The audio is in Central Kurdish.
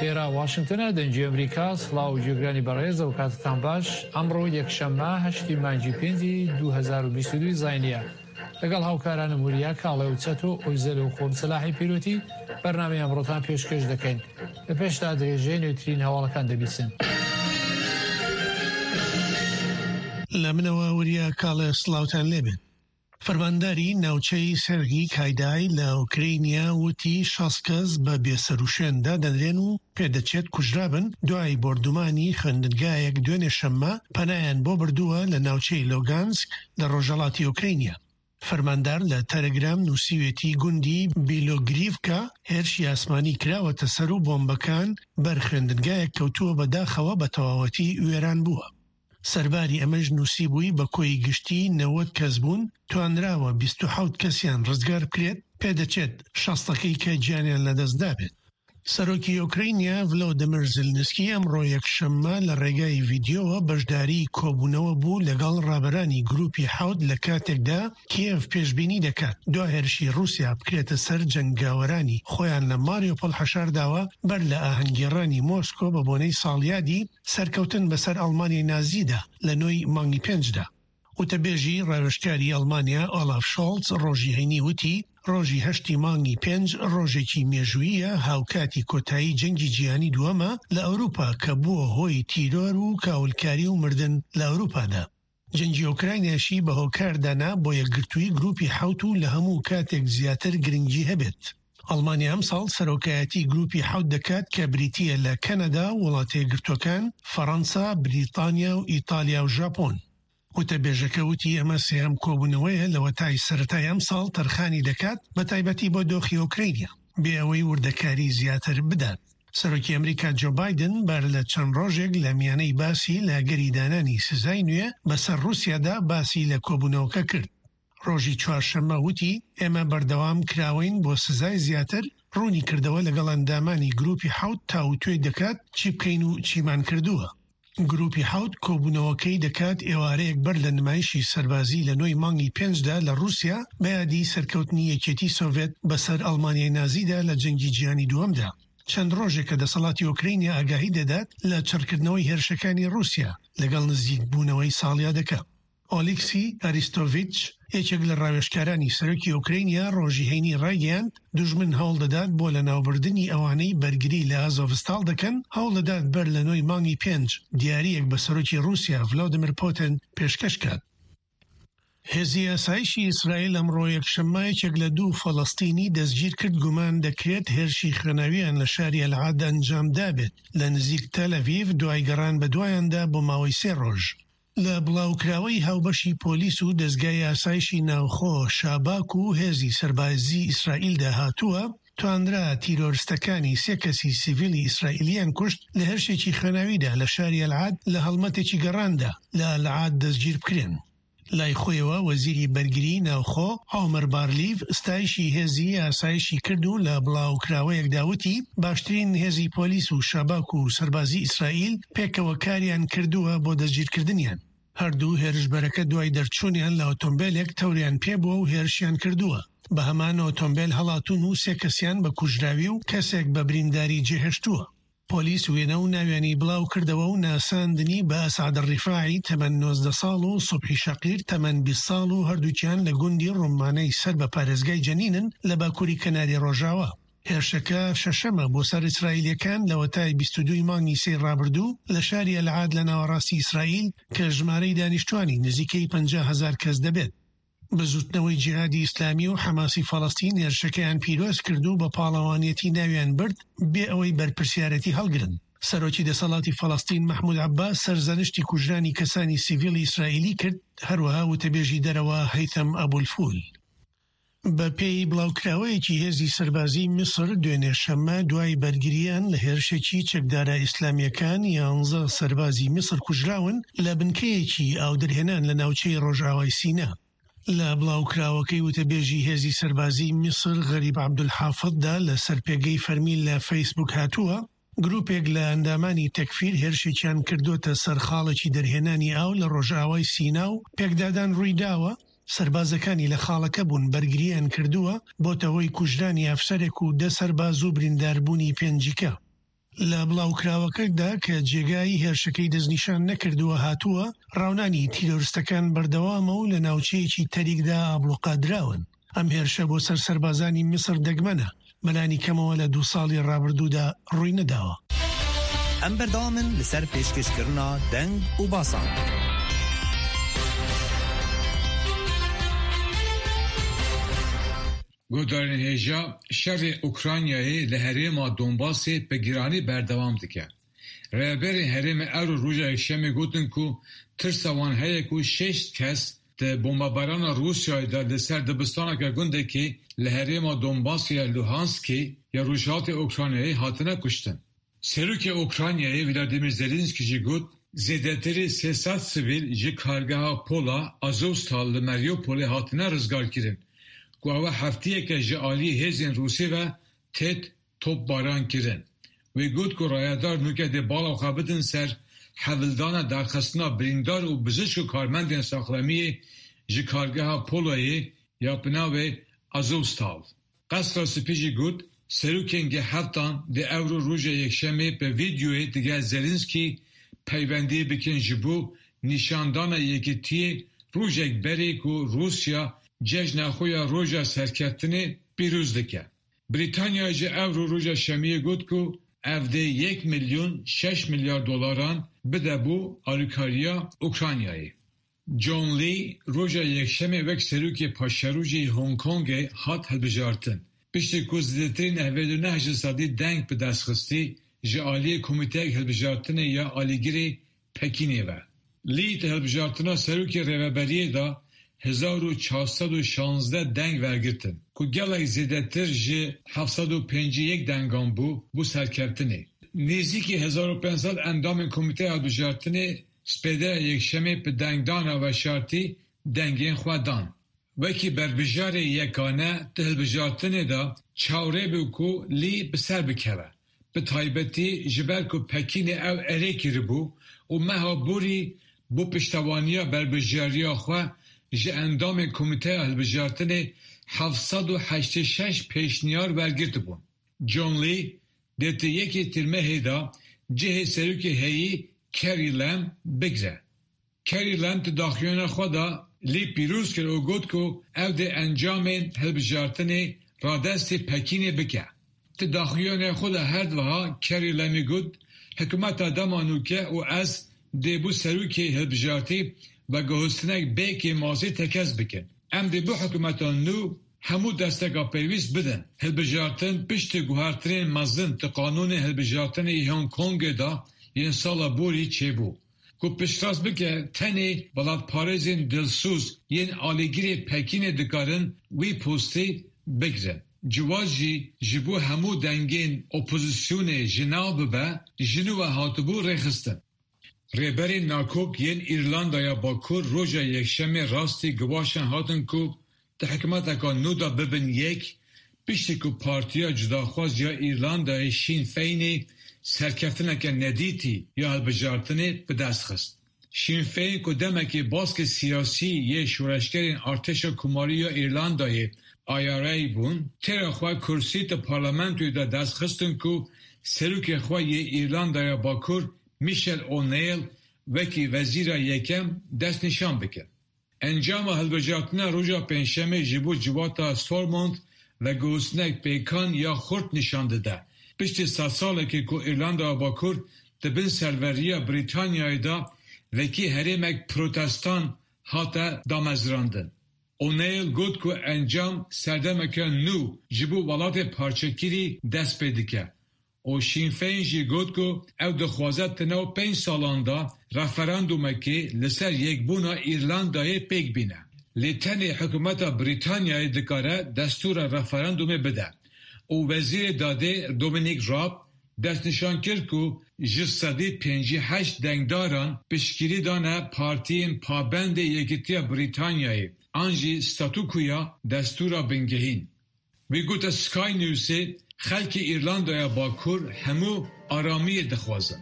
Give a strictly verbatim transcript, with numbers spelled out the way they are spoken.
ئێرە واشنگتنە، دەنگی ئەمریکا. سڵاو و گوێگرانی بەڕێز، ئەو کاتتان باش. ئەمڕۆ یەکشەممە هەشتی مانگی پێنجی دوو هەزار و بیست و دوو زاینیە. لەگەڵ هاوکارانم وریا کاڵێ و چەتۆ ئۆیزەل و خۆم سەلاحی پیرۆتی بەرنامەی ئەمڕۆتان پێشکەش دەکەین. لە پێشدا درێژەی نوێترین هەواڵەکان دەبیسن. لە منەوە وریا کاڵێ سڵاوتان لێبێت. فەرمانداری ناوچەی سێرگی کایدای لە ئۆکرەینیا وتی شەست کەس بە بێسەروشوێن دادەنرێن و پێدەچێت کوژرابن دوای بۆردومانی خوێندنگایەک دوێنێ شەممە پەنایان بۆ بردووە لە ناوچەی لۆگانسک لە ڕۆژهەڵاتی ئۆکرەینیا. فەرماندار لە تەلەگرام نووسیوێتی گوندی بیلۆگریڤکا هێرشی ئاسمانی کراوەتە سەر و بۆمبەکان بەر خوێندنگایەک کەوتووە، بەداخەوە بە تەواوەتی وێران بووە. سەرباری ئەمەش نووسیبووی بە کۆی گشتی نەوەد کەس بوون، توانراوە بیست و حەوت کەسیان ڕزگار بکرێت، پێدەچێت شەستەکەی کە گیانیان لەدەست دابێت. سەرۆکی ئۆکرەینیا ڤلۆدیمیر زیلنسکی ئەمڕۆ یەکشەممە لە ڕێگای ڤیدیۆوە بەشداری کۆبوونەوە بوو لەگەڵ ڕابەرانی گروپی حەوت لە کاتێکدا کیێڤ پێشبینی دەکات دوا هێرشی ڕووسیا بکرێتە سەر جەنگاوەرانی خۆیان لە ماریۆپۆل حەشارداوە بەر لە ئاهەنگگێڕانی مۆسکۆ بە بۆنەی ساڵیادی سەرکەوتن بەسەر ئەڵمانیای نازیدا لە نۆی مانگی پێنجدا. وتەبێژی ڕاوێژکاری ئەڵمانیا ئۆلاف شۆڵتز ڕۆژی هەینی وتی ڕۆژی هەشتی مانگی پێنج ڕۆژێکی مێژوویە هاوکاتی کۆتایی جەنگی جیهانی دووەمە لە ئەوروپا کە بووە هۆی تیرۆر و کاولکاری و مردن لە ئەوروپادا. جەنگی ئۆکراینیاشی بە هۆکار دانا بۆ یەکگرتووی گروپی حەوت و لە هەموو کاتێک زیاتر گرنگی هەبێت. ئەڵمانیا ئەمساڵ سەرۆکایەتی گروپی حەوت دەکات کە بریتییە لە کەنەدا، وڵاتە یەکگرتووەکان، فەڕەنسا، بریتانیا و ئیتالیا و ژاپۆن. وتەبێژەکە وتی ئەمە سێهەم کۆبوونەوەیە لەوەتای سەرەتای ئەمساڵ تەرخانی دەکات بە تایبەتی بۆ دۆخی ئۆکرەینیا بێ ئەوەی وردەکاری زیاتر بدات. سەرۆکی ئەمریکا جۆ بایدن بەر لە چەند ڕۆژێک لە میانەی باسی لە ئەگەری دانانی سزای نوێ بەسەر ڕووسیادا باسی لە کۆبوونەوەکە کرد. ڕۆژی چوارشەممە وتی ئێمە بەردەوام کراوەین بۆ سزای زیاتر، ڕوونی کردەوە لەگەڵ ئەندامانی گروپی حەوت تاوتوێ دەکات چی بکەین و چیمان کردووە. گروپی حەوت کۆبوونەوەکەی دەکات ئێوارەیەک بەر لە نمایشی سەربازی لە نۆی مانگی پێنجدا لە ڕووسیا بە یادی سەرکەوتنی یەکێتی سۆڤێت بەسەر ئەڵمانیای نازیدا لە جەنگی جیهانی دووەمدا. چەند ڕۆژێکە دەسەڵاتی ئۆکرەینیا ئاگاهی دەدات لە چڕکردنەوەی هێرشەکانی ڕووسیا لەگەڵ نزیکبوونەوەی ساڵیادەکە. ئۆلیکسی ئەریستۆڤیچ یەکێک لە ڕاوێژکارانی سەرۆکی ئۆکرەینیا ڕۆژی هەینی ڕایگەیاند دوژمن هەوڵ دەدات بۆ لەناوبردنی ئەوانەی بەرگری لە ئازۆڤستاڵ دەکەن، هەوڵ دەدات بەر لە نۆی مانگی پێنج دیارییەک بە سەرۆکی ڕووسیا ڤلادیمیر پوتن پێشکەش کات. هێزی ئاسایشی ئیسرائیل ئەمڕۆ یەکشەممە یەکێک لە دوو فەڵەستینی دەستگیر کرد گومان دەکرێت هێرشی خوێناویان لە شاری ئەلعاد ئەنجام دابێت لە نزیک تەلەڤیڤ دوای گەڕان بە دوایاندا بۆ ماوەی سێ ڕۆژ. لە بڵاوکراوەی هاوبەشی پۆلیس و دەزگای ئاسایشی ناوخۆ شاباک و هێزی سەربازی ئیسرائیلدا هاتووە، توانرا تیرۆرستەکانی سێ کەسی سیڤیلی ئیسرائیلیان کوشت لە هێرشێکی خوێناویدا لە شاری ئەلعاد لە هەڵمەتێکی گەڕاندا لە ئەلعاد دەستگیر بکرێن. لای خۆیەوە وەزیری بەرگری ناوخۆ عومەر بارلیڤ ستایشی هێزی ئاسایشی کرد و لە بڵاوکراوەیەکدا وتی باشترین هێزی پۆلیس و شاباک و سەربازی ئیسرائیل پێکەوە کاریان کردووە بۆ دەستگیرکردنیان. هەردوو هێرشبەرەکە دوای دەرچوونیان لە ئۆتۆمبیلێک تەوریان پێبووە و هێرشیان کردووە. بە هەمان ئۆتۆمبیل هەڵاتوون و سێ کەسیان بە کوژراوی و کەسێک بە برینداری جێهێشتووە. پۆلیس وێنە و ناویانی بڵاو کردەوە و ناساندنی بە ئەسعەد ڕیفاعی تەمەن نۆزدە ساڵ و سوبحی شەقیر تەمەن بیست ساڵ و هەردووکیان لە گوندی ڕومانەی سەر بە پارێزگای جەنینن لە باکووری کەناری ڕۆژاوا. هێرشەکە شەشەمە بۆ سەر ئیسرائیلیەکان لەوەتای بیست و دووی مانگی سێی ڕابردوو لە شاری ئەلعاد لە ناوەڕاستی ئیسرائیل کە ژمارەی دانیشتوانی نزیکەی پەنجا هەزار کەس دەبێت. بزوتنەوەی جیهادی ئیسلامی و حەماسی فەڵەستین هێرشەکەیان پیرۆز کرد و بە پاڵەوانیەتی ناویان برد بێ ئەوەی بەرپرسیارەتی هەڵگرن. سەرۆکی دەسەڵاتی فەڵەستین مەحمود عەباس سەرزەنشتی کوژرانی کەسانی سیڤیلی ئیسرائیلی کرد، هەروەها وتەبێژی دەرەوە هەیثەم ئەبولفول. بە پێی بڵاوکراوەیەکی هێزی سەربازی میسر دوێنێ شەممە دوای بەرگریان لە هێرشێکی چەکدارە ئیسلامیەکان یانزە سەربازی میسر کوژراون لە بنکەیەکی ئاودەرهێنان لە ناوچەی ڕۆژئاوای سینا. لە بڵاوکراوەکەی وتەبێژی هێزی سەربازی میسر غەریب عەبدولحافظدا لەسەر پێگەی فەرمی لە فەیسبوک هاتووە، گروپێک لە ئەندامانی تەکفیر هێرشێکیان کردوتە سەر خاڵێکی دەرهێنانی ئاو لە ڕۆژئاوای سینا و پێکدادان ڕوویداوە، سەربازەکانی لە خاڵەکە بوون بەرگریان کردووە، بۆتە هۆی کوژرانی ئەفسەرێک و دە سەرباز و برینداربوونی پێنجیکە. لە بڵاوکراوەکەدا کە جێگای هێرشەکەی دەستنیشان نەکردووە هاتووە، ڕاونانی تیرۆرستەکان بەردەوامە و لە ناوچەیەکی تەریکدا ئابڵوقادراون. ئەم هێرشە بۆ سەر سەربازانی میسر دەگمەنە، بەلانی کەمەوە لە دوو ساڵی ڕابردوودا ڕووی نەداوە. ئەم بەردەوامن لەسەر پێشکەشکردنا دەنگ و باسان. گۆدارên hêja şerê Ukraynayê li herêma Donbasê bi giranî berdewam dike. Rêveberên herêmê îro roja Yekşemê gotin ku tirsa wan heye ku şeş kes di bombebarana Rûsyayê de li ser dibistaneke gundekî li herêma Donbasê ya Luhanskê ya Rojhilatê Ukraynayê hatine kuştin. Serokê Ukraynayê Vladimir Zelenski jî got zêdetirî sê sed sivîl ji kargeha Pola Azovstal li Mariupolê hatine rizgarkirin ku ew hefteyeke ji aliyê hêzên Rûsî ve têt topbaran kirin. Wê got ku rayedar nûke dê bala xwe bidin ser hewldana derxistina birîndar û bizişk û karmendên saxlemiyê ji kargeha Polayê ya bi navê Azovstal. Qesra Spî jî got serokên G heftan dê îro roja Yekşemê bi vîdeoyê digel Zelenski peywendiyê bikin ji bo nîşandana yekîtiyê rojek berê ku Rûsya cejna xwe ya roja serkeftinê pîroz dike. Brîtanya ji îro roja Şemiyê got ku ev dê yek milyon şeş milyar dolaran bide bo alîkariya Ukraynayê. John Lee roja Yekşemê wek serokê paşerojê Hong Kongê hat hilbijartin. Piştî ku zêdetirî nehved û neh ji sedî deng bi dest xistî ji aliyê komîteyek hilbijartinê ya alîgirê Pekînê ve. Lee di hilbijartina serokê rêveberiyê de hezar û çar sed û şanzdeh deng wergirtin ku gelek zêdetir ji heft sed û pêncî yek dengan bû bû serkeftinê. Nêzîkî hezar û pênc sed endamên komîteya hilbijartinê spêdeya Yekşemê bi dengdana veşartî dengên xwe dan. Wekî berbijarê yekane di hilbijartinê de çavrê bû ku Lee bi ser bikeve. Bi taybetî ji ber ku Pekînê ew erê kiribû û meha borî bo piştevaniya berbijariya xwe ji endamên komîteya hilbijartinê heft sed û heştê şeş pêşniyar wergirtibûn. John Lee dê di yekê tîrmehê de cihê serokê heyî Carrie Lam bigre. Carrie Lam di daxuyaniya xwe de Lee pîroz kir û got ku ew dê encamên hilbijartinê radestê Pekînê bike. Di daxuyaniya xwe de her wiha Carrie Lamê got hikûmeta dema nûke û ez dê bo serokê hilbijartî veguhestinek bê kêmasî tekez bikin. Em dê bo hikûmeta nû hemû desteka pêwîst bidin. Hilbijartin piştî guhertinên mezin di qanûnên hilbijartinê yê Hong Kongê de yên sala borî çêbû. Ku piştrast bike tenê welatparêzên dilsoz yên alîgirê Pekînê dikarin wî postê bigirin. Ciwaz jî ji bo hemû dengên opozisyonê ji nav bibe ji nû ve hatibû rêxistin. Rêberên nakok yên Îrlandaya Bakur roja Yekşemê rastî giwaşan hatin ku di hikûmeteke nû de bibin yek piştî ku Partiya Cudaxwaz ya Îrlandayê Sinn Féinê serkeftineke nedîtî ya hilbijartinê bi dest xist. Sinn Féin ku demekê baskê siyasî yê şoreşgerên Artêşa Komarî ya Îrlandayê I R A bûn, têra xwe kursî di parlamentoyê de dest xistin ku serokê xwe yê Îrlandaya Bakur Michelle O'Neill wekî wezîra yekem destnîşan bike. Encama hilbijartina roja Pêncşemê ji bo civata Stormont veguhestinek pêkan ya xurt nîşan dide. Piştî sed salekê ku Îrlandaya Bakur di bin serweriya Brîtanyayê de wekî herêmek protestan hate damezrandin. O'Neill got ku encam serdemeke nû ji bo welatê parçekirî dest pê dike. û Sinn Féin jî got ku ew dixwaze di nav pênc salan de referandumekê li ser yekbûna Îrlandayê pêk bîne. Lê tenê hikûmeta Brîtanyayê dikare destûra referandumê bide. Û Wezîrê Dadê Dominic Raab destnîşan kir ku ji sedî pêncî heşt dengdaran piştgirî dane partiyên pabendê Yekîtiya Brîtanyayê an jî statûkoya destûra bingehîn. Wî gote Sky Newsê xelkê Îrlandaya Bakur hemû aramiyê dixwazin.